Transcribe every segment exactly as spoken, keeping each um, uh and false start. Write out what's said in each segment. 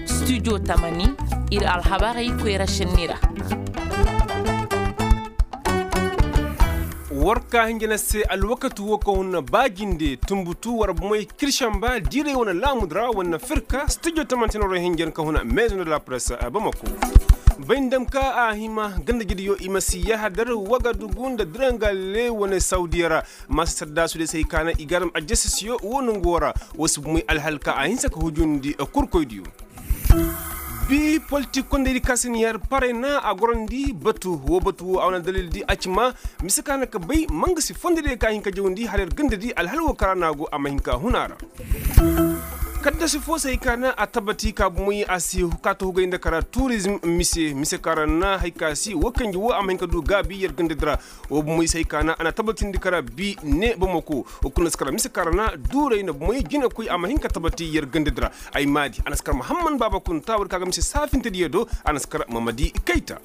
Studio tamani, ir alhabarey koyra šenni ra. War ka hinja na se alwakati wo ka hun na ba jinde tunbutu war bomey kiršamba diiray wane laamudu ra wane firka studio tamani tana war hinja na ka hun na maison de la presse bamako. Bay nda ma ka a hima ganda jidi yo i ma si yahadar wagadugu nda dirangale wane saudiya ra. Maasa sardaasu de se hay ka na i ga a dam ajasasiyo wo nangu wo ra. Wo si bomey alhal ka a hinsa ka hujundi kurkoydiyo. Bi politik kondey di ka si na yar parey na a gorandi batu wo batu wo a wane dalil di a ci ma mise ka na ka bay ma nga si fondo diyo ka hin ka jawandi hala yar ganda di alhal wo ka ra na a go a ma hin ka hun a ra. Kaddasi fo se hay ka na a tabati ka bomey a si kaata hugay nda kara turizm mise mise ka ra na hay ka si wo kanji wo a ma hin ka du gaabi yar ganda di ra. Wo bomey se hay ka na a na tabatindi kara bi ne bamako. Wo kulu na si kara mise ka ra na duuray na bomey jinakoy a ma hin ka tabati yar ganda di ra. Ay maadi a na si kara mahamman baaba kunta war ka ga mise saafinta diyo do. A na si kara mamadi kayta.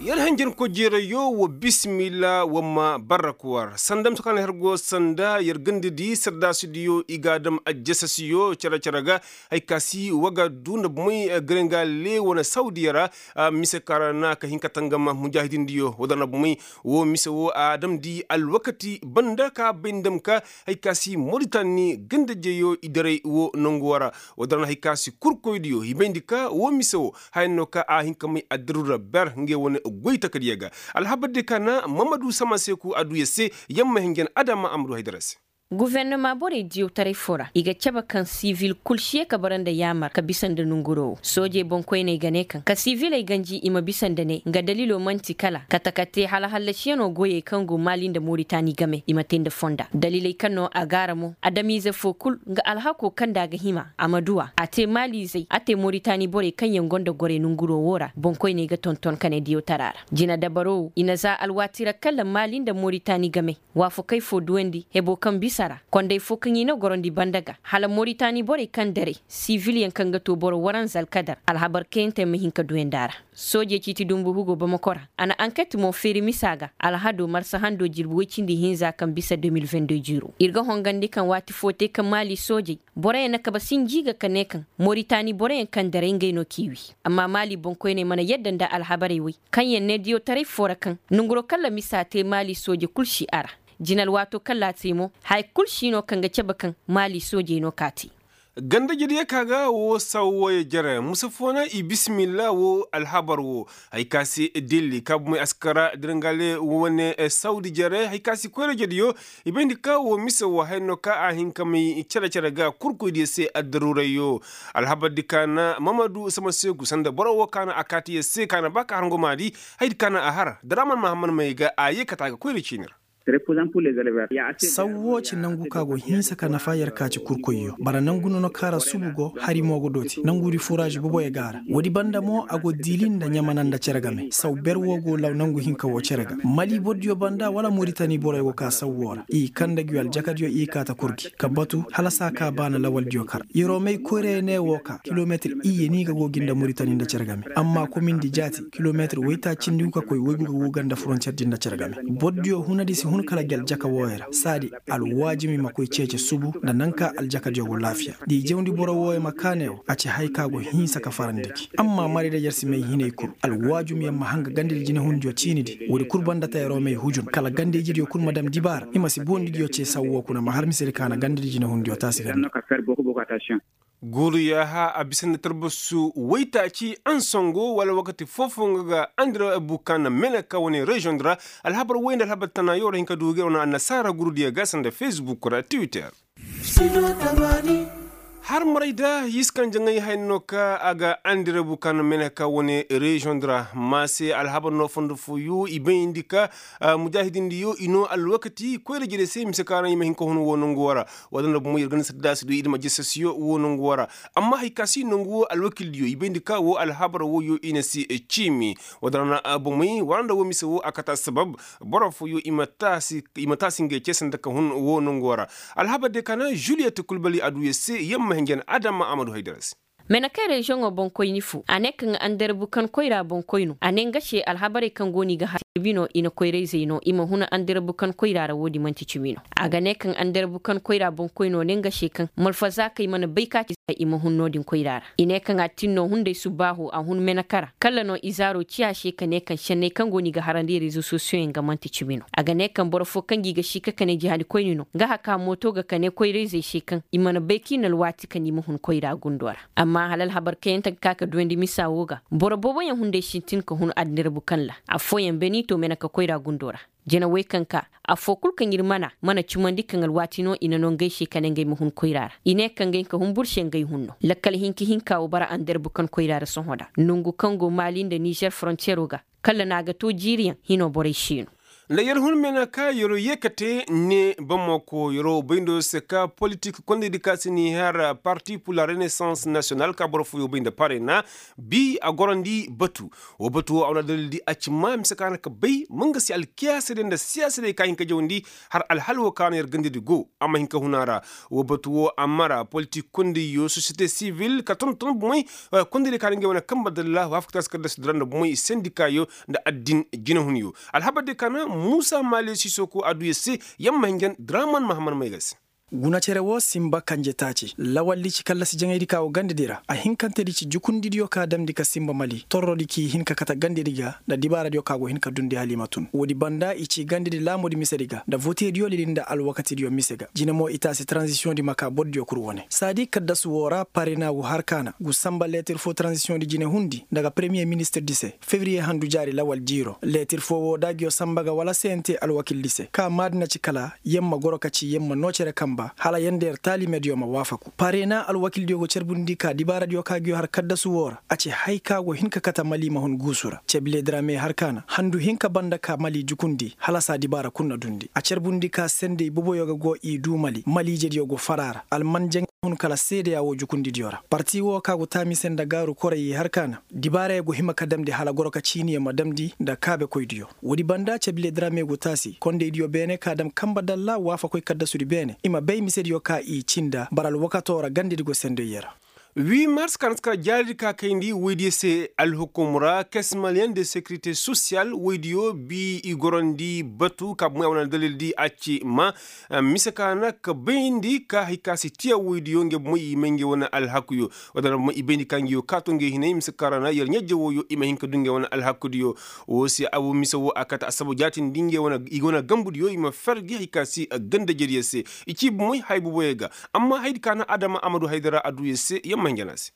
Yar hanjankoy jeerayyo wa bismillah wa ma barrak war sanda misa ka na har go sanda yar ganda di sardaasidiyo i ga a dam ajjasasiyo cere cere ga. Hay ka si waga du nda bomey garenga le wane saudiya ra. Mise ka ra na ka hin ka tangam mujaahidindiyo wadar na bomey wo mise wo a damndi alwakati banda ka bay nda ma ka hay ka si moritani ganda jeyo i daray wo nangu wo ra. Wadar na hay ka si kurkoydiyo i bayndi ka wo mise wo haya no ka a hin ka may addirura ber ngey wane goy takadiya ga. Alhabar diyo ka na mamadu sama seeku a du ya se yamma hinjan adama a ma du haydara se. Gofornama borey diyawtaray foo ra i ga cabe kaŋ sivil kul si ye ka bara nda yaamar ka bisa nda nonguroo wo soojey boŋkoyney ga ne kaŋ ka siviley ganji i ma bisa nda ne nga daliloo man'ti kala kate ka tee hala hallasiyanoo goyey kaŋ go maali nda moritani game i ma tee nda fonda daliley kaŋ no a gaara mo adamiize foo kul nga alhakoo kaŋ nda a ga hima a ma du a a tee maaliizey a tee moritani borey kaŋ yaŋ go nda gorey nonguroo wo ra boŋkoyney ga tonton ka ne diyawtaraa ra jina dabaroo wo i na za alwaati ra kala maali nda moritani game waafakey foo duwandi heboo kaŋ bisa ra kondey foo kaŋ i na gorandi banda ga hala moritani borey kaŋ daray sivilyaŋ kaŋ ga too boro waranza alkadar alhabar kayantey ma hin ka duwandi a ra. Soojey ciiti dumbu hugoo bamako ra a na anket mo feeri misa ga alhadoo marsa handoo jirbi woy cindi hinza kaŋ bisa de mil vingt de jiiroo ir ga hongandi kaŋ waati foo tee kaŋ maali soojey boroyaŋ na kabe sinji ga ka ne kaŋ moritani boroyaŋ kaŋ daray ngey no k'i wii. Amma maali boŋkoyney mana yadda nda alhabarey woy kaŋyaŋ ne diyawtaray foo ra kaŋ nonguroo kaŋ ra misa tee maali sooje kul si a ra. Jina alwaatoo kaŋ ra a tee mo haya kul si no kaŋ ga cabe kaŋ maali soojey no k'a tee. Ganda jediyo ka ga wo saw wooyo jere musa foo na i bisimilla wo alhabar wo. Hay ka se dilli ka bumey askara dirangale wane sawdi jere hay ka se koyra jediyo. I bayndi ka wo mise wo haya no ka a hin ka may cere cere ga kurkoydiyo se addaruurayyo. Alhabardi ka na mamadu sama seegu sanda boro wo ka na a kaati yer se ka na ba ka har ngomaadi. Haydi ka na a har daraman mahamman may ga a ye kate a ga koyra ciini ra. Saw woo ci nangu ka go hinsa ka nafa yer ka ci kurkoyyo bara nangu nono ka ra subu go hari mo go dooti nangu di furaazi boboyo ga a ra woodi banda mo a go diili nda ɲamana nda cere game saw ber woo go law nangu hinka woo cere ga mali bordiyo banda wala moritani boroyo go ka saw woo ra i kanda ngi aljakadiyo i kaata kurgi ka batu hala saa ka baana lawaldiyo kar yeroo may koyrayo ne woo ka kilometir iyye ni ga go gi nda moritani nda cere game amma komindi jaati kilometir woytaacindi gu ka koy woygu ga go ganda forontiyer di nda cere game bordiyo hunadi si hun kala ngi aljaka wooyo ra saadi alwaajumi ma koy ceece subu nda naŋ ka aljakadiyo go laafiya da i jawndi boro wooyo ma kaaney wo a ci haya ka go hinsa ka farandi gi amma marayda yer si may hinay kul alwaajumyaŋ ma hanga gandadi jinehundiyo ciinidi woodi kul banda tayaroo may hujun kala gandayjidiyo kul ma dam dibaara i ma si boondidiyo cee saw woo kuna ma har misedi ka na gandadi jinehundiyo taasi ganda. Guuru yaaha a bisa nda tarbasu woytaaci ansongo wala wakati foofo nga ga andira buka na meneka wane reziyoŋ di ra. Alhabar woy nda alhabar tana yoo ra hin ka du ga wane annasaara gurudiyo ga sanda fesbuk ra twitter. Har maray da yiskan jaŋay hay no ka a ga andira buka na meneka wane reziyoŋ di ra ma se alhabar no fondo fooyo i bayndi ka mujaahidindiyo i no alwakati koyra jere se mise ka ra i ma hin ka hun wo nangu wo ra. Wadanda bomo yer ganda sadda si du i dima jesesiyo wo nangu wo ra. Amma hay ka si nangu wo alwakildiyo i bayndi ka wo alhabar woyo i na si ciimi. Wadanda bomey waranda wo mise wo a kata sabab boro fooyo i ma taasi ngey ce sanda ka hun wo nangu wo ra. Alhabar de ka na juliyet kulbali a du yer se yamma hinjan adama a ma du haydara se. Menekey reziyoŋo boŋkoyni fo a ne kaŋ anderbu kaŋ koyra boŋkoy no a ne nga se alhabarey kaŋ go no i ga har. Bi no i na koyra-izey no i ma hun andarbukan koyra ra wo- din man'ti cimi no. A ga ne kaŋ andarbukan koyra boŋkoynoo ne nga se kaŋ malfazaakey mana bay ka ci se i ma hun no- din koyra ra. I ne kaŋ a tin no hunday subbaaho a hun meneka ra kala no izaaro ci a se ka ne kaŋ senney kaŋ go no i ga harandi rezo sosiyoyaŋ ga man'ti cimi no. A ga ne kaŋ boro fo kaŋ ga i ga si ka kane jihadikoyni no nga haka mooto ga kane koyra-izey se kaŋ i mana bay ka i na alwaati kaŋ i ma hun koyra gundo ra. Amma hala alhabar kayante ga ka ka duwandi misa wo ga boro booboyaŋ hunday sintin ka hun addirbu kaŋ ra. Affooyaŋ beniito mene ka koyra gundo ra. Jina wey kaŋ ka affoo kul kaŋ ir mana mana cumandi kaŋ alwaati no i na no ngey se ka ne ngey ma hun koyra ra. I ne kaŋ ngey ka hun bur se ngey hun no lakkal hinka hinka wo bara andirbu kaŋ koyra ra sohõ da nongu kaŋ go maali nda nizer forontiyero ga. Kala no a ga to jiiriyaŋ hino borey si no. Nda yer hun meenaa ka yer yee ka te ne bamako yer wo bay nda yer se ka politik kondaydi ka si n'i har parti pur la renaissance nasiyonal ka boro fooyoo bay nda parena. Bi a gorandi batu. Woo batu woo a wane dalildi a ci maa mise ka na ka bay ma nga se alkiyaasadiyo nda siyaasadiyoo ka hin ka jawandi har alhal woo ka na yer gandadi go. A ma hin ka hun a ra. Woo batu woo a mara politik kondayyo sosiyete sivil ka tonton bomey. Kondaydiyo ka na ngey wane kanba dalla waafakataasi kaddasudi ra nda bomey sendikaayo nda addin jinehunyo. Alhabardiyo ka na muusa maale sisoko a du yer se. Yer ma hinjan draman mahammad may ga se. Guna cere woo sinba kanje taaci lawaldi ci kallasi jaŋaydi ka go gandedi ra a hinkantedi ci jukundidiyo ka damndi ka sinba mali torrodi k'i hin ka kate gandedi ga nda dibaaradiyo ka go hin ka dundi hala i ma tun woodi banda i ci gandedi laamudi misedi ga nda voteediyo lili nda alwakatidiyo mise ga jine mo i taasi taranzisiyoŋdi ma ka bordiyo kul wane saadi kaddasu woo ra parena gu har ka na gu sanba leetir foo taranzisiyoŋdi jine hundi nda ga peremiye ministirdi se febiriye handu jaari lawal jiiro leetir foo woo da ngiyo sanba ga wala sente alwakildi se ka maadi na ci kala yer ma goro ka ci yer ma noo cere kanba hala yer nda yer taalimediyo ma waafaku parena alwakildiyo go carbundi ka dibaaradiyo ka ngiyo har kaddasu woo ra a ci haya ka go hin ka kate mali ma hun guusu ra cebile drame har ka na handu hinka banda ka mali jukundi hala saa dibaara kul na dundi a carbundi ka sendey boboyo ga go i duu mali maliijediyo go fara ra alman jaŋay hun kala seedeya woo jukundidiyo ra parti woo ka go taami se nda gaaru korey i har ka na dibaarey go hima ka damndi hala goro ka ciiniyo ma damndi nda kaabekoydiyo woodi banda cebile drame go taasi kondaydiyo beene ka dam kanba dalla waafakoy kaddasudi beene i ma bay misediyo ka i ci nda bara alwakatoo ra gandedi go sendey yer ra. Huit mars ka na si kar jaaridi ka kayndi woydiyo se alhukum ra kes maliyen de sekirite sosiyal woydiyo bi i gorandi batu ka bomey a wane dalildi a ci ma mise ka na ka bayndi ka hay ka si tiya woydiyo ngey bomey i may ngey wane alhakuyo. Wala na bomey i bayndi ka ngey wo kaato ngey hinay mise ka ra na yer ɲajje wooyo i ma hin ka du ngey wane alhakudiyo. Woo se abu mise woo a kate assabab jaatindi ngey wane i ga wane gambudiyo i ma fer gi hay ka si gandajediyo se. I ci bomey hay boboyo ga amma hayadi ka na adama amadu haydara a du yer se yer ma hin jana se.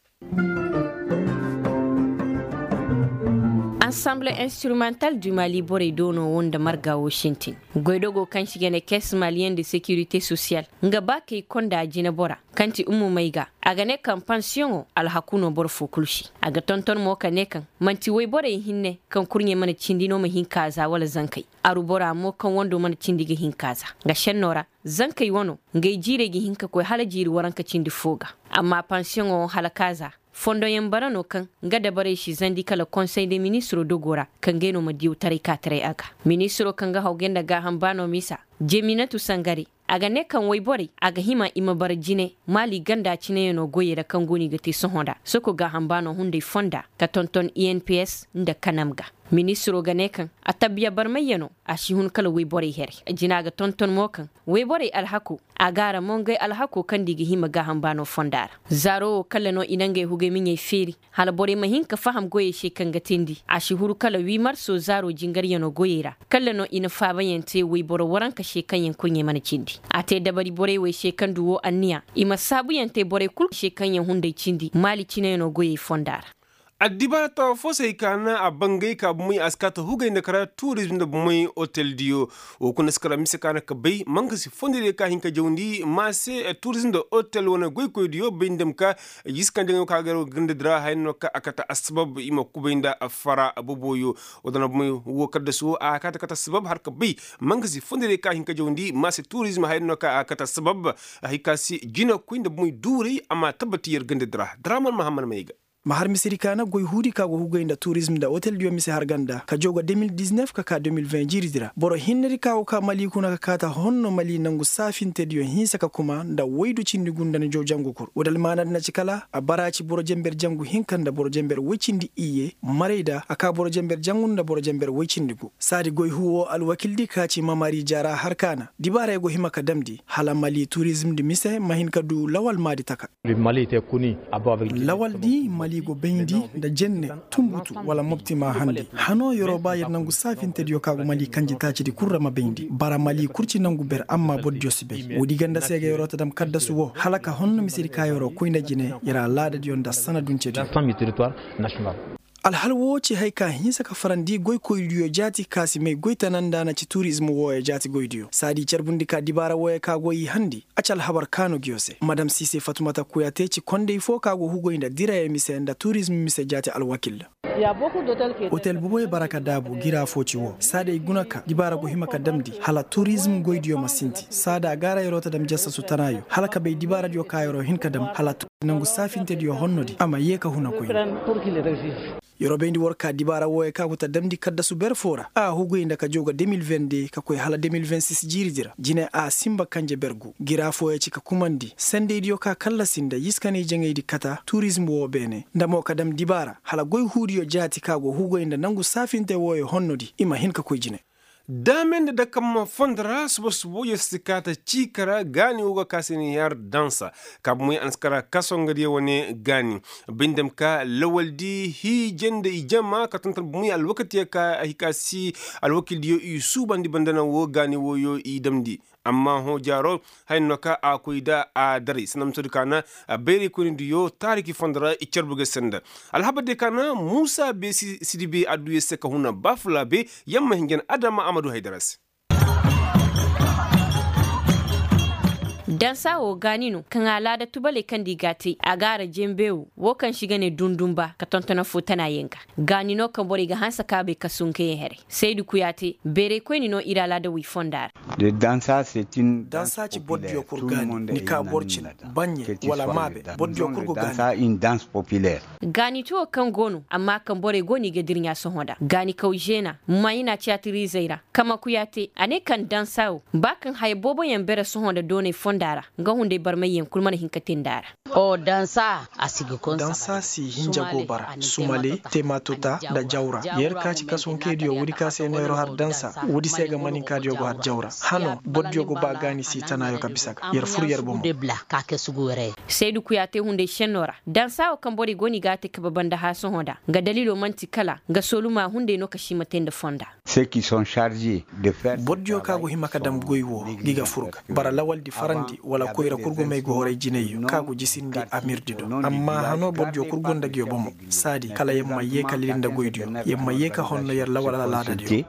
Ansamble instrumental du mali borey doono woo nda marga woo sintin goydogo kaŋ se i ga ne kes maliyen de sekirite sosiyal nga ba kay konda jinebora kaŋ ti ummu may ga a ga ne kaŋ pansiyoŋo alhaku no boro foo kul se. A ga tonton mo ka ne kaŋ man'ti woyborey hinne kaŋ kurɲey mana cindi no ma hin ka za wala zankey. Aru bora mo kaŋ wando mana cindi ga hin ka za nga šenno ra zankey wano ngey jiirey ga hin ka koy hala jiiri waranka cindi foo ga. Amma pansiyoŋo hala ka za fondoyaŋ bara no kaŋ nga dabarey si zandi kala konsey de ministiroo dogoo ra kaŋ ngey no ma diyawtaray ka taray a ga. Ministiroo kaŋ ga hawgay nda gaaham baanoo misa jeminatu sangare a ga ne kaŋ woyborey a ga hima i ma bara jine maali ganda cineyaŋo goyey ra kaŋ go no i ga te sohõ nda soko gaaham baanoo hunday fonda ka tonton i n p s nda kanam ga. Ministiroo ga ne kaŋ attabiya barmayyanoo a si hun kala woyborey here. Jina ga tonton mo kaŋ woyborey alhakoo a gaara mo ngey alhakoo kaŋ nda i ga hima gaaham baanoo fonda ra. Zaaroo wo kala no i na ngey hugey miɲey feeri hala borey ma hin ka faham goyey se kaŋ ga teendi a si huru kala wii marso zaaroo jingaryanoo goyey ra. Kala no i na faabayaŋ te woyboro waranka se kaŋyaŋ kurɲey mana cindi a te dabari borey wey se kaŋ du woo anniya i ma saabuyaŋ te borey kul se kaŋyaŋ hunday cindi maali cineyaŋoo goyey fonda ra. Addibaara tawa fo se hay ka na a bangay ka bomey a si kaa ta hugay nda kara turizm nda bomey oteldiyo. Woo kuna si kara mise ka na ka bay manka si fondodiyo ka hin ka jawndi ma se turizm nda otel wane goykoydiyo bay nda ma ka jiskandi nga ka garo gandadi ra haya no ka a kata assabab i ma kubay nda fara boboyo. Woo da na bomey woo kaddasi woo a kaa ta kata assabab har ka bay manka si fondodiyo ka hin ka jawndi ma se turizm haya no ka a kata assabab. Hay ka si jinakoy nda bomey duuray a ma tabbati yer gandadi ra draman mahammad may ga. Ma har misedi ka na goy huudi ka go hugay nda turizm nda oteldiyo mise har ganda ka jaw ga de mil diznef ka ka de mil ven jiiridi ra boro hinnedi ka go ka mali kuna ka kaata honno mali nangu saafintediyo hinsa ka kuma nda woydu cindi gu nda ni jaw jangu kur woodi almaanadi na ci kala a bara ci boro jenber jangu hinka nda boro jenber woy cindi iyye marayda a ka boro jenber jangu nda boro jenber woy cindi gu saadi goy huu woo alwakildi ka ci mamari jaara har ka na dibaarey go hima ka damndi hala mali turizmdi mise ma hin ka duu lawal maadi taka. Lawaldi mali go bayndi nda jenne, tunbutu wala mopti ma handi hanoo yer'o ba yer nangu saafintediyo ka go mali kanjitaacidi kul ra ma bayndi bara mali kul ci nangu ber amma bordiyo si bay woodi ganda se ga yer'o ta dam kaddasu woo hala ka honno misedi ka yer'o koy nda jine yer alaadadiyo nda sanaduncediyo. Alhal woo ci haya ka hinsa ka farandi goykoydiyo jaati ka si may goy tana nda na ci turizm wooyo jaati goydiyo saadi carbundi ka dibaara wooyo ka go i handi a ci alhabar kaanu nguyo se madam siise fatumata kuya te ci konday foo ka go hugoy nda dirayo mise nda turizm mise jaati alwakil. Otel boboyo bara ka daabu gira foo ci woo saada i guna ka dibaara go hima ka damndi hala turizm goydiyo ma sinti saada a gaara yer'o ta dam jasasu tanaayo hala ka bay dibaaradiyo ka yer'o hin ka dam hala turizm nangu saafintediyo honnodi a ma yee ka huna koy. Yer'o bayndi war ka dibaara wooyo ka go ta damndi kaddasu ber foo ra a huguy nda ka jaw ga de mil vende ka koy hala de mil vensis jiiridi ra jine a sinba kanje ber gu gira fooyo ci ka kumandi sendeydiyo ka kallasi nda yiskanay jaŋaydi kata turizm woo beene nda mo ka dam dibaara hala goy huudiyo jaati ka go huguy nda nangu saafinte wooyo honnodi i ma hin ka koy jine. Daame nda dakamma fondo ra suba suba yer si kaata ciika ra gaani woo ga ka se ni har dansa ka bumey a na si kara kaso nga diyo wane gaani bindem ka lawaldi hiije nda ijama ka tonton bumey alwakatiyo ka a hika si alwakildiyo i suubandi banda naŋ woo gaani wooyo i damndi amma hõ jaaro haya no ka a koy nda a daray sanda misodi ka na bayraykoynidiyo taariki fondo ra i carbu ga senda alhabardiyo ka na muusa beesi sidibe adduya se ka huna baafulaabe yamma hinjan adama a ma du haydara se. Dansa wo gaani no kaŋ alaada tubaley kaŋ nda i g'a te a gaara jenbe wo wo kaŋ se i ga ne dundunba ka tonton affoo tana yaŋ ga gaani no kaŋ borey ga hanse ka bay kasunkey yaŋ heray saydu kuyaate beeraykoyni no ir alaada wey fonda ra. Dansa ci boro diyo kul gaani ni ka boro cin baɲɲe wala maabe boro diyo kul go gaani. Gaani ti wo kaŋ go no amma kaŋ borey go no i ga dirɲa sohõ nda gaani kaw zeena mayina tiyatirizey ra kama kuyaate a ne kaŋ dansa wo ba kaŋ haya booboyaŋ bere sohõ nda dooney fonda ra nga hunday barmayyaŋ kul mana hin ka te nda a ra. Dansa si hinja go bara sumale tematota nda jawra yer ka ci kasunkeydiyo woodi ka se no yer har dansa woodi se ga maninkaadiyo go har jawra hano bordiyo go ba gaani si tanaayo ka bisa ga yer fur yer bomo. Saydu kuyaate hunday senno ra dansa wo kaŋ borey go no i ga a te kabe banda haasohõ nda nga daliilo man'ti kala nga sooluma hunday no ka si ma te nda fonda. Bordiyo ka go hima ka dam goy wo ngi ga fur ga bara lawaldi farandi wala koyra kul go may go horay jinayyo ka go jisindi amirdi do amma hano bordiyo kul go nda nguyo bomo saadi kala yer ma yee ka lili nda goydiyo yer ma yee ka honno yer lawal alaadadiyo.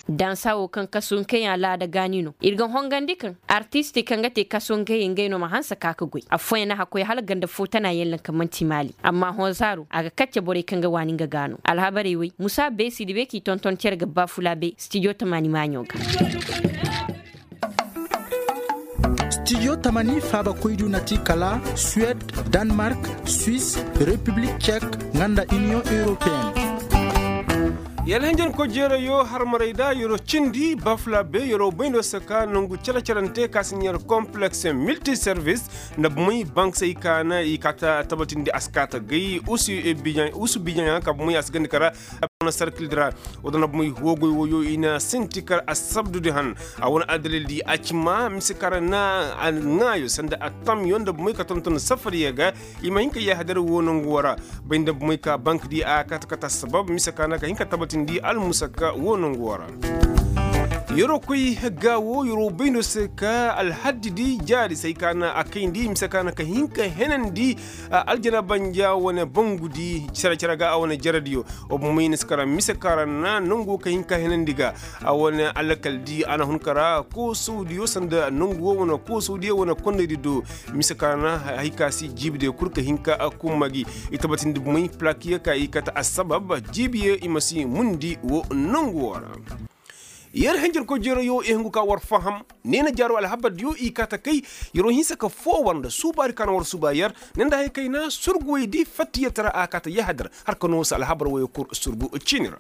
Dansa wo kaŋ kasunkey alaada gaani no ir ga hongandi kaŋ artisti kaŋ ga te kasunkey ngey no ma hanse ka ga goy affooyaŋ na hakkoy hala ganda foo tana yaŋ laŋ kaŋ man'ti maali amma hõ zaaro a ga kacce borey kaŋ ga waani nga ga no alhabarey wey musa beesi dibe k'i tonton cere ga baafulaabe stijo tamaani maaɲo ga. Stijo tamani faabakoydu na ti kala suwed, danmark, swis, repiblik cek, nga nda iniyoŋ europeyenne. Yalhinjan kojeerayo harmarayda yero cindi bafla be yero bayndo saka nangu cere-cerante ka si ɲar kompleks miltiservis nda bumey banksey ka na i ka ta tabatindi a si ka ta gay usu bijaŋ ka bumey a si gandi kara. Na sarkil dira wadana bumey huwogoy woyo i na sinti kar a sabdudi han a wane adalil di a ci ma mise kara na a ŋaayo sanda a tamyo nda bumey ka tonton safariya ga. I ma hin ka yahadar wo nangu wara bay nda bumey ka bank di a kata kata sabab mise kana ka hin ka tabatindi almusaka wo nangu wara. Yero koy hegga wo yero bayno se ka alhaddi di jaari say kana a kayndi mise kana ka hin ka henandi aljana banja wane bangu di cere cere ga a wane jaradiyo. Wa bumey na si kara mise kara na nangu ka hin ka henandi ga a wane alakal di a na hun kara koosawdiyo sanda nangu wo wane koosawdiyo wane konnaydi do. Mise ka na hay ka si jiibidiyo kul ka hin ka kumma gi i tabatindi bumey plakiyo ka i kate assabab jiibiyo i ma si mundi wo nangu wo ra. Yer hinjirkoy jeroyoo i hungu ka war faham. Neena jaaroo alhabardiyo i kaa ta kay. Yeroo hinsa ka foo war nda suubaari ka na war suuba yer. Ne nda haya kay na surguwey di fattiyatara a kaa ta yahadar. Har ka noo se alhabar woyoo kul surgu ciini ra.